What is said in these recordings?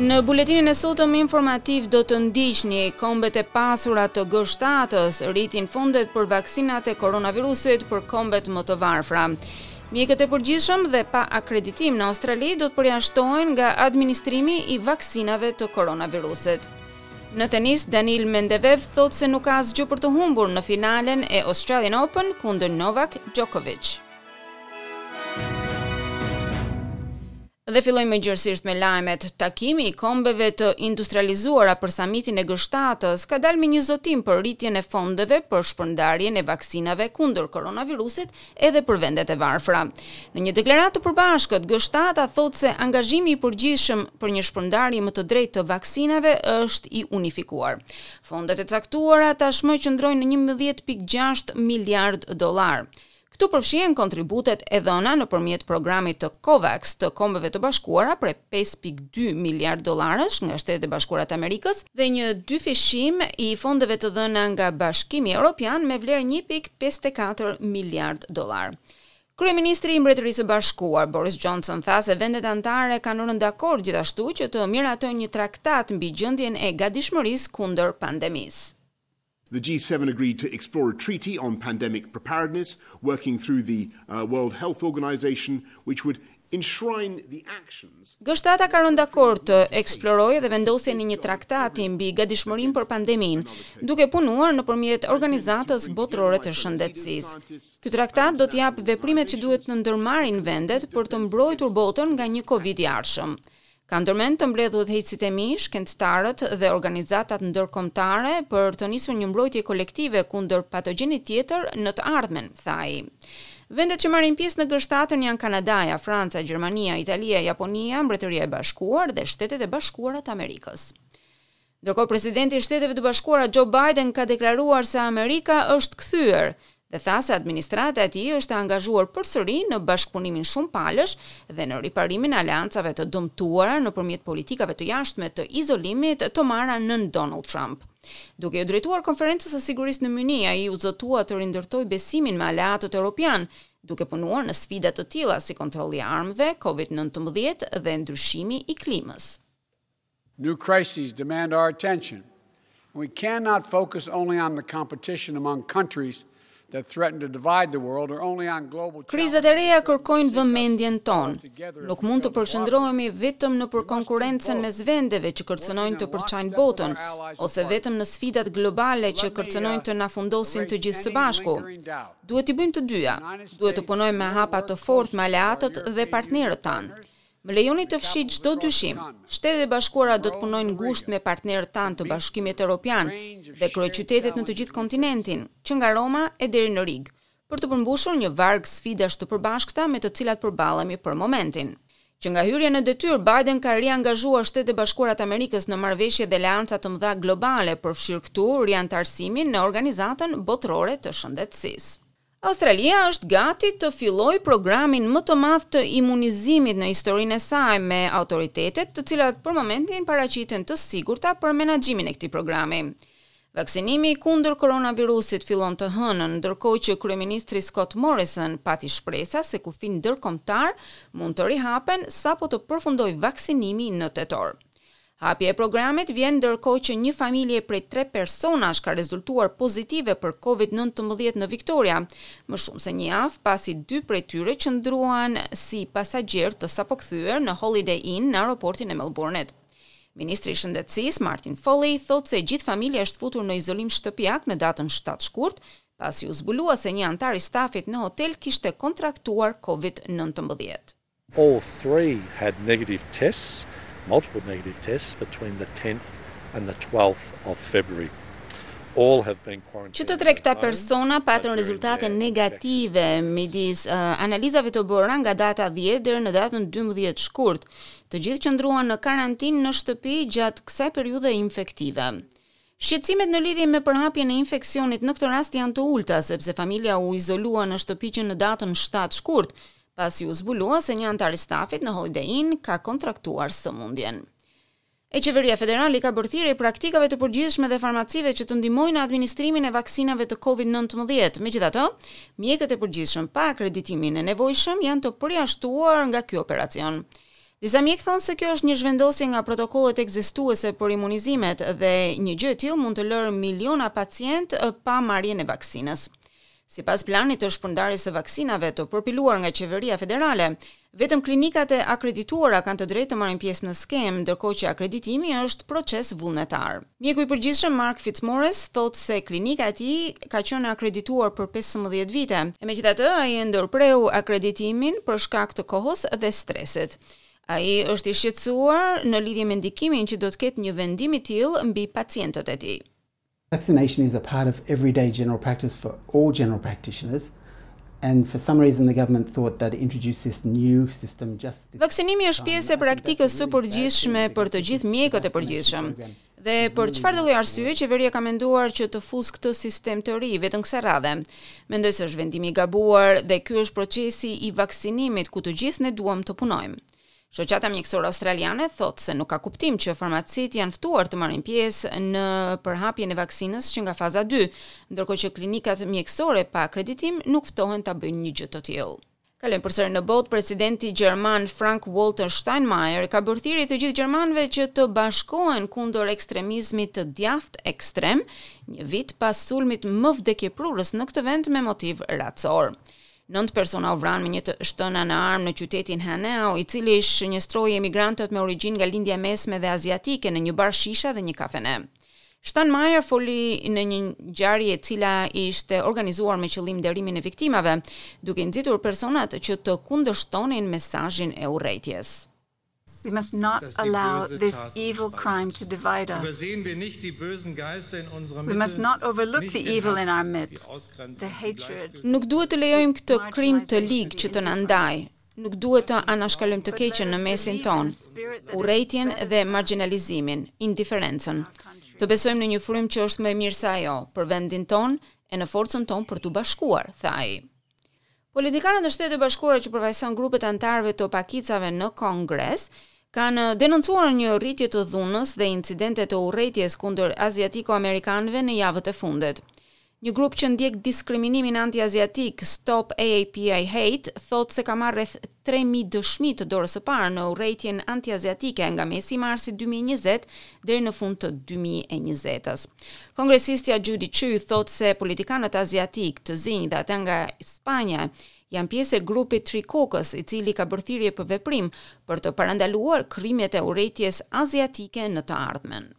Në buletinin e sotëm informativ do të ndiqni kombet e pasura të G7-ës rritin fondet për vaksinat e koronavirusit për kombet më të varfra. Mjekët e përgjithshëm dhe pa akreditim në Australi do të përjashtohen nga administrimi i vaksinave të koronavirusit. Në tenis, Daniil Medvedev thotë se nuk ka asgjë për të humbur në finalen e Australian Open kundër Novak Djokovic. Dhe fillojmë më gjerësisht me lajmet. Takimi i kombeve të industrializuara për samitin e G7-ës ka dalë me një zotim për rritjen e fondeve për shpërndarjen e vaksinave kundër koronavirusit edhe për vendet e varfra. Në një deklaratë të përbashkët, G7-a thotë se angazhimi i përgjithshëm për një shpërndarje më të drejtë të vaksinave është i unifikuar. Fondet e caktuara tashmë qëndrojnë në 11.6 miliard dollar. Këtu përfshihen kontributet e dhëna nëpërmjet programit të COVAX të Kombeve të Bashkuara prej 5.2 miliard dollarësh nga Shtetet e Bashkuara të Amerikës dhe një dyfishim i fondeve të dhëna nga Bashkimi Evropian me vlerë 1.54 miliard dollar. Kryeministri i Mbretërisë së Bashkuar, Boris Johnson, tha se vendet anëtare kanë rënë dakord gjithashtu që të miratojnë një traktat mbi gjendjen e gatishmërisë kundër pandemisë. The G7 agreed to explore a treaty on pandemic preparedness, working through the uh, World Health Organization, which would enshrine the actions. G7 ka rënë dakord të eksplorojë dhe vendosjen e një traktati mbi gatishmërinë për pandeminë, duke punuar nëpërmjet Organizatës Botërore të Shëndetësisë. Ky traktat do të japë veprimet që duhet të ndërmarrin vendet për të mbrojtur botën nga një Covid i ardhshëm. Kam ndërmend të mbledh udhëheqësit e mi, shkencëtarët dhe organizatat ndërkombëtare për të nisur një mbrojtje kolektive kundër patogjenit tjetër në të ardhmen, tha ai. Vendet që marrin pjesë në G7 janë Kanadaja, Franca, Gjermania, Italia, Japonia, Mbretëria e Bashkuar dhe Shtetet e Bashkuara të Amerikës. Ndërkohë presidenti i Shteteve të Bashkuara Joe Biden ka deklaruar se Amerika është kthyer dhe tha se administrata e tij është e angazhuar përsëri në bashkëpunimin shumëpalësh dhe në riparimin e aleancave të dëmtuara nëpërmjet politikave të jashtme të izolimit të marra nën Donald Trump. Duke iu drejtuar konferencës së sigurisë në Mynih, ai u zotua të rindërtojë besimin me aleatët europian, duke punuar në sfida të tilla si kontrolli i armëve, COVID-19 dhe ndryshimi i klimës. New crises demand our attention. We cannot focus only on the competition among countries that threaten to divide the world or only on global Krizat e reja kërkojnë vëmendjen tonë. Nuk mund të përqendrohemi vetëm në për konkurrencën mes vendeve që kërcënojnë të përçajnë botën, ose vetëm në sfidat globale që kërcënojnë të na fundosin të gjithë së bashku. Duhet t'i bëjmë të dyja. Duhet të punojmë me hapa të fortë me aleatët dhe partnerët tanë. Më lejoni të fshij çdo dyshim. Shtetet e Bashkuara do të punojnë ngushtë me partnerët tanë të Bashkimit Evropian dhe kryeqytetet në të gjithë kontinentin, që nga Roma e deri në Rigë, për të përmbushur një varg sfidash të përbashkëta me të cilat përballemi për momentin. Që nga hyrja në detyrë, Biden ka riangazhuar Shtetet e Bashkuara të Amerikës në marrëveshje dhe aleanca të mëdha globale, përfshirë këtu riantarësimin në Organizatën Botërore të Shëndetësisë. Australia është gati të fillojë programin më të madh të imunizimit në historinë e saj me autoritetet, të cilat për momentin paraqiten të sigurta për menaxhimin e këtij programi. Vaksinimi kundër koronavirusit fillon të hënën, ndërkohë që kryeministri Scott Morrison pati shpresa se kufijtë ndërkombëtar mund të rihapen sapo të përfundojë vaksinimi në tetor. Hapja e programit vjen ndërkohë që një familje prej tre personash ka rezultuar pozitive për COVID-19 në Victoria, më shumë se një javë pasi dy prej tyre qëndruan si pasagjerë të sapokthyer në Holiday Inn në aeroportin e Melbourne-it. Ministri i Shëndetësisë Martin Foley thotë se gjithë familja është futur në izolim shtëpiak në datën 7 shkurt, pasi u zbulua se një anëtar i stafit në hotel kishte kontraktuar COVID-19. All three had negative tests, multiple negative tests between the 10th and the 12th of February. All have been quarantined. Që të tre këta persona patën rezultate negative midis uh, analizave të bëra nga data 10 deri në datën 12 shkurt. Të gjithë qëndruan në karantinë në shtëpi gjatë kësaj periudhe infektive. Shqetësimet në lidhje me përhapjen e infeksionit në këtë rast janë të ulëta, sepse familja u izolua në shtëpi që në datën 7 shkurt, pasi u zbulua se një anëtar i stafit në Holiday Inn ka kontraktuar sëmundjen. E qeveria federale i ka bërë thirrje praktikave të përgjithshme dhe farmacive që të ndihmojnë në administrimin e vaksinave të COVID-19. Megjithatë, mjekët e përgjithshëm pa akreditimin e nevojshëm janë të përjashtuar nga ky operacion. Disa mjekë thonë se kjo është një zhvendosje nga protokollet ekzistuese për imunizimet dhe një gjë e tillë mund të lërë miliona pacientë pa marrjen e vaksinës. Sipas planit të shpërndarjes së vaksinave të përpiluar nga qeveria federale, vetëm klinikat e akredituara kanë të drejtë të marrin pjesë në skemë, ndërkohë që akreditimi është proces vullnetar. Mjeku i përgjithshëm Mark Fitzmaurice thotë se klinika e tij ka qenë e akredituar për 15 vite. E megjithatë, ai e ndërpreu akreditimin për shkak të kohës dhe stresit. Ai është i shqetësuar në lidhje me ndikimin që do të ketë një vendim i tillë mbi pacientët e tij. Vaccination is a part of everyday general practice for all general practitioners. And for some reason the government thought that introduce this new system just this Vaksinimi është pjesë e praktikës së përgjithshme për të gjithë mjekët e përgjithshëm. Dhe për çfarëdo lloj arsye qeveria ka menduar që të fusë këtë sistem të ri vetëm kësaj radhe. Mendoj se është vendimi i gabuar dhe ky është procesi i vaksinimit ku të gjithë ne duam të punojmë. Shoqata Mjekësore Australiane thotë se nuk ka kuptim që farmacitë janë ftuar të marrin pjesë në përhapjen e vaksinës që nga faza 2, ndërkohë që klinikat mjekësore pa akreditim nuk ftohen ta bëjnë një gjë të tillë. Kalojmë përsëri në botë, presidenti gjerman Frank Walter Steinmeier ka bërë thirrje të gjithë gjermanëve që të bashkohen kundër ekstremizmit të djathtë ekstrem, një vit pas sulmit më vdekjeprurës në këtë vend me motiv racor. Nëntë persona u vranë me një të shtëna në armë në qytetin Hanau, i cili shënjestroi emigrantët me origjinë nga Lindja e Mesme dhe Aziatike në një bar shisha dhe një kafene. Steinmeier foli në një ngjarje e cila ishte organizuar me qëllim nderimin e viktimave, duke nxitur personat që të kundërshtonin mesazhin e urrejtjes. We must not allow this evil crime to divide us. We must not overlook the evil in our midst, the hatred. Nuk duhet të lejojmë këtë krim të lig që të na ndajë. Nuk duhet të anashkalojmë të keqen në mesin tonë, urrejtjen dhe marginalizimin, indiferencën. Të besojmë në një frymë që është më e mirë se ajo, për vendin tonë e në forcën tonë për t'u bashkuar, tha ai. Politikanët në Shtetet e Bashkuara që përfaqësojnë grupet e anëtarëve të pakicave në Kongres kanë denoncuar një rritje të dhunës dhe incidente të urrejtjes kundër aziatiko-amerikanëve në javët e fundit. Një grup që ndjek diskriminimin anti-aziatik, Stop AAPI Hate, thotë se ka marrë rreth 3000 dëshmi të dorës së parë në urrejtjen anti-aziatike nga mesi i marsit 2020 deri në fund të 2020-s. Kongresistja Judy Chu thotë se politikanët aziatik, të zinj dhe ata nga Spanja janë pjesë e grupit Tri Caucus, i cili ka bërë thirrje për veprim për të parandaluar krimet e urrejtjes aziatike në të ardhmen.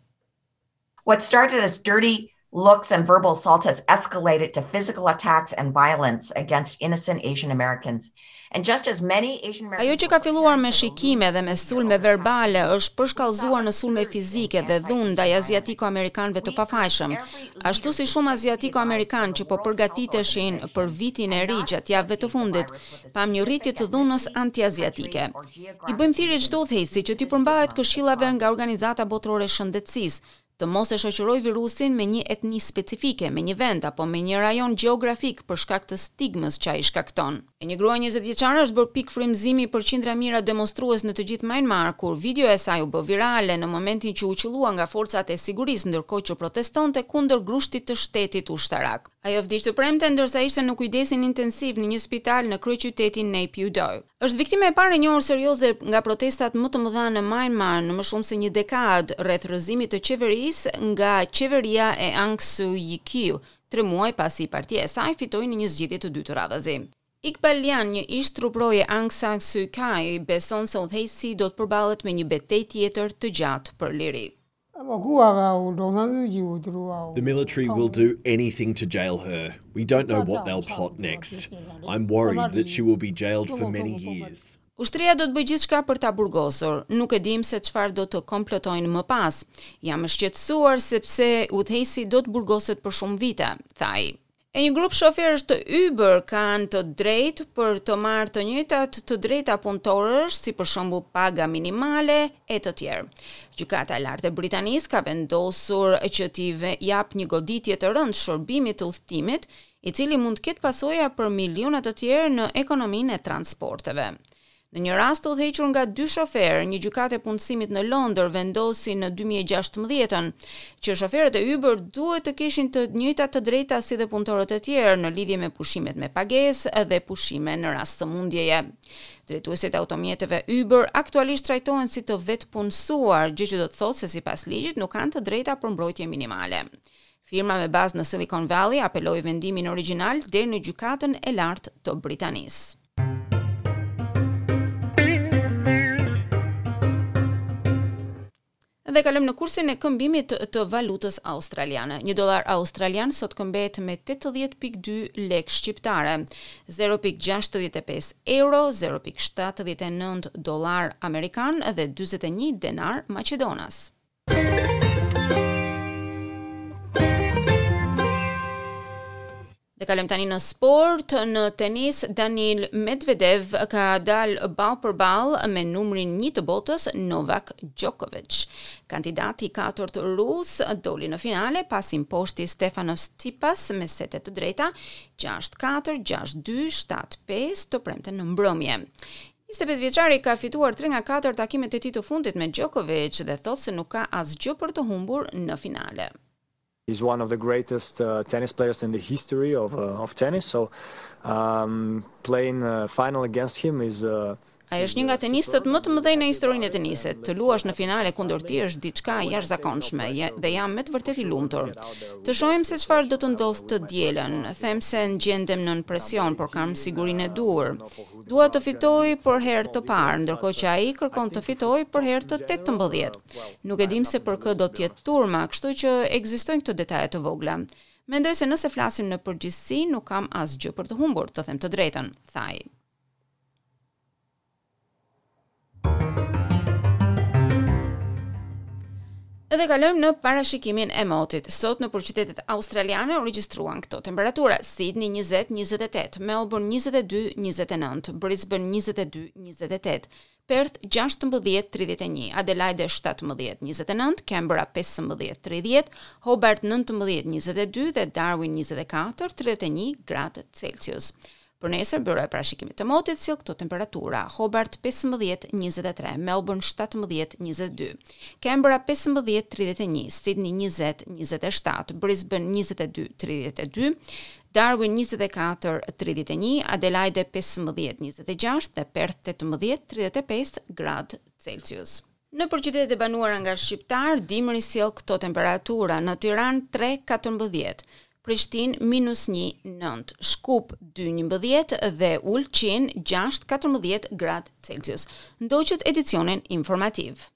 What started as dirty looks and verbal assault has escalated to physical attacks and violence against innocent Asian Americans. And just as many Asian Americans Ajo që ka filluar me shikime dhe me sulme verbale është përshkallëzuar në sulme fizike dhe dhunë ndaj aziatiko-amerikanëve të pafajshëm. Ashtu si shumë aziatiko-amerikanë që po përgatiteshin për vitin e ri gjatë javëve të fundit, pam një rritje të dhunës anti-aziatike. I bëjmë thirrje çdo udhëheqësi që t'i përmbahet këshillave nga Organizata Botërore e Shëndetësisë, të mos e shoqëroj virusin me një etni specifike, me një vend apo me një rajon gjeografik për shkak të stigmës që ai shkakton. E një grua 20 vjeçare është bërë pikë frymëzimi për qindra mijëra demonstrues në të gjithë Myanmar kur video e saj u bë virale në momentin që u qëllua nga forcat e sigurisë ndërkohë që protestonte kundër grushtit të shtetit ushtarak. Ajo vdiq të premte ndërsa ishte në kujdesin intensiv në një spital në kryeqytetin Naypyidaw. Është viktima e parë e njohur serioze nga protestat më të mëdha në Myanmar në më shumë se një dekadë rreth rrëzimit të qeverisë nga qeveria e Aung Suu Kyi, tre muaj pasi partia e saj fitoi në një zgjedhje të dytë radhazi. Iqbal Lyan, një ish truprojë e Aung San Suu Kyi, beson se udhëheqësi do të përballet me një betejë tjetër të gjatë për liri. The military will do anything to jail her. We don't know what they'll plot next. I'm worried that she will be jailed for many years. Ushtria do të bëjë gjithçka për ta burgosur. Nuk e dim se çfarë do të komplotojnë më pas. Jam e shqetësuar sepse udhëheqësi do të burgoset për shumë vite, tha ai. E një grup shoferësh të Uber kanë të drejtë për të marrë të njëjtat të drejta punëtorësh, si për shembull paga minimale e të tjerë. Gjykata e Lartë e Britanisë ka vendosur që t'i jap një goditje të rëndë shërbimit të udhëtimit, i cili mund të ketë pasoja për miliona të tjerë në ekonominë e transporteve. Në një rast të udhëhequr nga dy shoferë, një gjykatë e punësimit në Londër vendosi në 2016-ën që shoferët e Uber duhet të kishin të njëjtat të drejta si dhe punëtorët e tjerë në lidhje me pushimet me pagesë dhe pushime në rast sëmundjeje. Drejtuesit e automjeteve Uber aktualisht trajtohen si të vetëpunësuar, gjë që do të thotë se sipas ligjit nuk kanë të drejta për mbrojtje minimale. Firma me bazë në Silicon Valley apeloi vendimin origjinal deri në Gjykatën e Lartë të Britanisë. Dhe kalojmë në kursin e këmbimit të valutës australiane. Një dollar australian sot këmbehet me 80.2 lekë shqiptare, 0.65 euro, 0.79 dollar amerikan dhe 41 denar maqedonas. Dhe kalojmë tani në sport, në tenis Daniil Medvedev ka dalë ballë për ballë me numrin 1 të botës Novak Djokovic. Kandidati i katërt rus doli në finale pasi mposhti Stefanos Tsitsipas me sete të drejta 6-4, 6-2, 7-5 të premten në mbrëmje. 25 vjeçari ka fituar 3 nga 4 takimet e tij të fundit me Djokovic dhe thotë se nuk ka asgjë për të humbur në finale. He's one of the greatest uh, tennis players in the history of uh, of tennis. So um, playing uh, final against him is uh, Ai është një nga tenistët më të mëdhenj në historinë e tenisit. Të luash në finale kundër tij është diçka e jashtëzakonshme dhe jam me të vërtetë i lumtur. Të shohim se çfarë do të ndodhë të dielën. Them se gjendem nën presion, por kam sigurinë e duhur. Dua të fitoj për herë të parë, ndërkohë që ai kërkon të fitojë për herë të 18. Nuk e dim se për kë do të jetë turma, kështu që ekzistojnë këto detaje të vogla. Mendoj se nëse flasim në përgjithësi, nuk kam asgjë për të humbur, të them të drejtën, tha ai. Edhe kalojmë në parashikimin e motit. Sot nëpër qytetet australiane u regjistruan këto temperatura: Sydney 20 28, Melbourne 22 29, Brisbane 22 28, Perth 16 31, Adelaide 17 29, Canberra 15 30, Hobart 19 22 dhe Darwin 24 31 gradë Celsius. Për nesër, Byroja e Parashikimit të Motit sjell këto temperatura: Hobart 15 23, Melbourne 17 22, Canberra 15 31, Sydney 20 27, Brisbane 22 32, Darwin 24 31, Adelaide 15 26 dhe Perth 18 35 gradë Celsius. Nëpër qytetet e banuara nga shqiptarë, dimri sjell këto temperatura: në Tiranë 3 14, Prishtinë minus 1 9, Shkup 2 11 dhe Ulqin 6 14 gradë Celsius. Ndoqët edicionin informativ.